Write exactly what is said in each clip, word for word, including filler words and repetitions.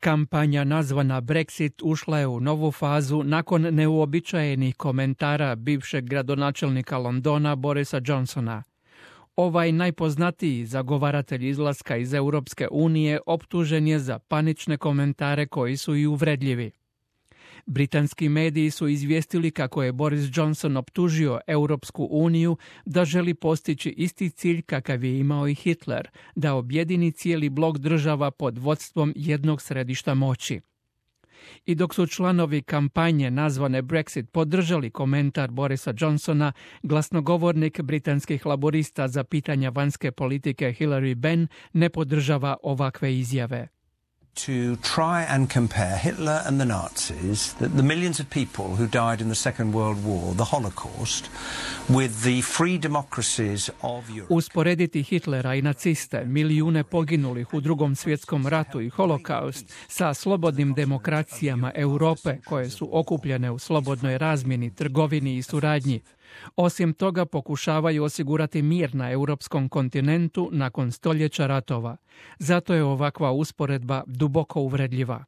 Kampanja nazvana Brexit ušla je u novu fazu nakon neuobičajenih komentara bivšeg gradonačelnika Londona Borisa Johnsona. Ovaj najpoznatiji zagovaratelj izlaska iz Europske unije optužen je za panične komentare koji su i uvredljivi. Britanski mediji su izvijestili kako je Boris Johnson optužio Europsku uniju da želi postići isti cilj kakav je imao i Hitler, da objedini cijeli blok država pod vodstvom jednog središta moći. I dok su članovi kampanje nazvane Brexit podržali komentar Borisa Johnsona, glasnogovornik britanskih laborista za pitanja vanjske politike Hilary Benn ne podržava ovakve izjave. To try and compare Hitler and the Nazis, the, the millions of people who died in the Second World War, the Holocaust, with the free democracies of Europe. Usporediti Hitlera i naciste, milijune poginulih u Drugom svjetskom ratu i Holokaust sa slobodnim demokracijama Europe koje su okupljene u slobodnoj razmjeni, trgovini i suradnji. Osim toga pokušavaju osigurati mir na europskom kontinentu nakon stoljeća ratova. Zato je ovakva usporedba duboko uvredljiva.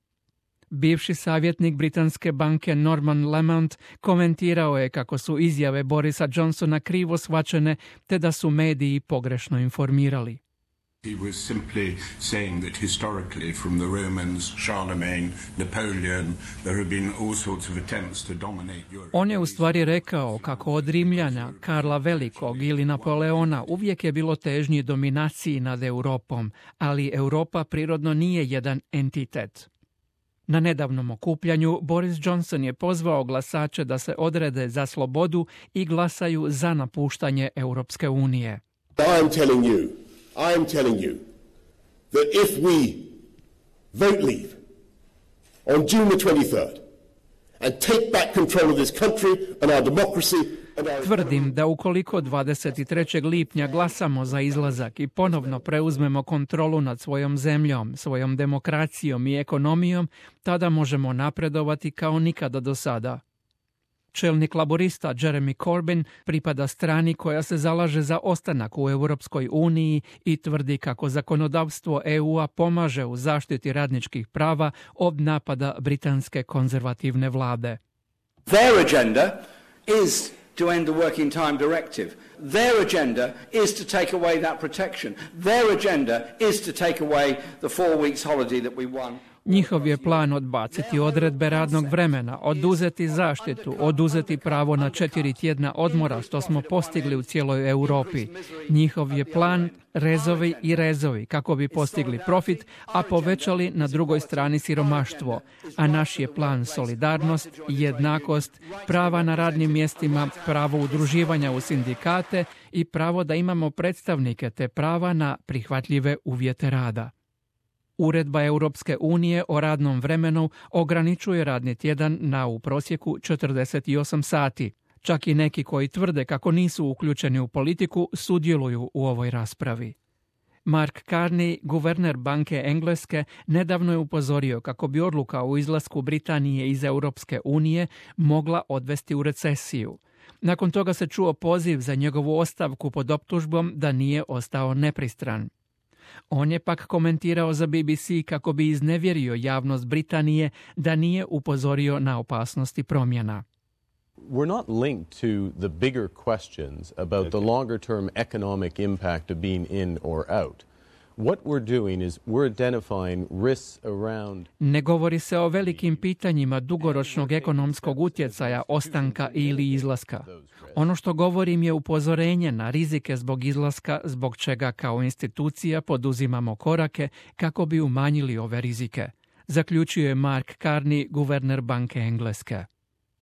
Bivši savjetnik britanske banke Norman Lamont komentirao je kako su izjave Borisa Johnsona krivo shvaćene te da su mediji pogrešno informirali. He was simply saying that historically from the Romans, Charlemagne, Napoleon, there have been all sorts of attempts to dominate Europe. On je u stvari rekao kako od Rimljana, Karla Velikog ili Napoleona uvijek je bilo težnje dominaciji nad Europom, ali Europa prirodno nije jedan entitet. Na nedavnom okupljanju Boris Johnson je pozvao glasače da se odrede za slobodu i glasaju za napuštanje Europske unije. I am telling you I am telling you that if we vote leave on June the twenty-third and take back control of this country and our democracy and our... Tvrdim da ukoliko dvadeset trećeg lipnja glasamo za izlazak i ponovno preuzmemo kontrolu nad svojom zemljom, svojom demokracijom i ekonomijom, tada možemo napredovati kao nikada do sada. Čelnik laborista Jeremy Corbyn pripada strani koja se zalaže za ostanak u Europskoj uniji i tvrdi kako zakonodavstvo E U-a pomaže u zaštiti radničkih prava od napada britanske konzervativne vlade. Their agenda is to end the working time directive. Their agenda is to take away that protection. Their agenda is to take away the four weeks holiday that we won. Njihov je plan odbaciti odredbe radnog vremena, oduzeti zaštitu, oduzeti pravo na četiri tjedna odmora što smo postigli u cijeloj Europi. Njihov je plan rezovi i rezovi kako bi postigli profit, a povećali na drugoj strani siromaštvo. A naš je plan solidarnost, jednakost, prava na radnim mjestima, pravo udruživanja u sindikate i pravo da imamo predstavnike te prava na prihvatljive uvjete rada. Uredba Europske unije o radnom vremenu ograničuje radni tjedan na u prosjeku četrdeset osam sati. Čak i neki koji tvrde kako nisu uključeni u politiku sudjeluju u ovoj raspravi. Mark Carney, guverner Banke Engleske, nedavno je upozorio kako bi odluka o izlasku Britanije iz Europske unije mogla odvesti u recesiju. Nakon toga se čuo poziv za njegovu ostavku pod optužbom da nije ostao nepristran. On je pak komentirao za B B C kako bi iznevjerio javnost Britanije da nije upozorio na opasnosti promjena. We're not linked to the bigger questions about the longer term economic impact of being in or out. What we're doing is we're identifying risks around... Ne govori se o velikim pitanjima dugoročnog ekonomskog utjecaja ostanka ili izlaska. Ono što govorim je upozorenje na rizike zbog izlaska, zbog čega kao institucija poduzimamo korake kako bi umanjili ove rizike, zaključio je Mark Carney, guverner Banke Engleske.